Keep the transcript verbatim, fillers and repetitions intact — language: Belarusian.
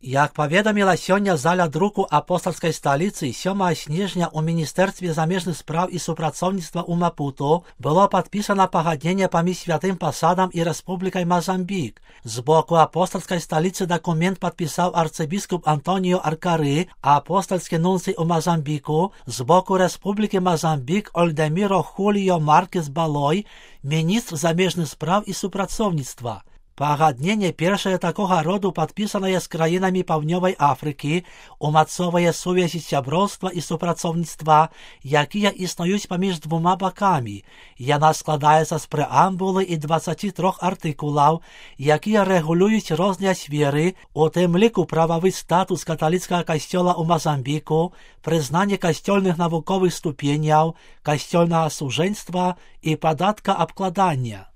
Як паведаміла сёння зала друку апостальскай сталіцы, сёмага снежня ў Міністэрстве замежных спраў і супрацоўніцтва ў Мапуту было падпісана пагадненне паміж святым пасадам і Рэспублікай Мазамбік. З боку апостальскай сталіцы дакумент падпісаў арцыбіскуп Антоніо Аркары, а апостальскі нунцый у Мазамбіку, з боку Рэспублікі Мазамбік Ольдеміро Хуліо Маркес Балой, міністр замежных спраў і супрацоўніцтва. Пагадненне першае такога роду падпісанае з краінамі Паўднёвай Афрыкі, умацоўвае сувязі сяброўства і супрацоўніцтва, якія існуюць паміж двума бакамі. Яна складаецца з прэамбулы і дваццаці трох артыкулаў, якія рэгулююць розныя сферы, у тым ліку прававы статус каталіцкага касцёла ў Мазамбіку, прызнанне касцёльных навуковых ступеняў, касцёльнага сужэнства і падаткаабкладання.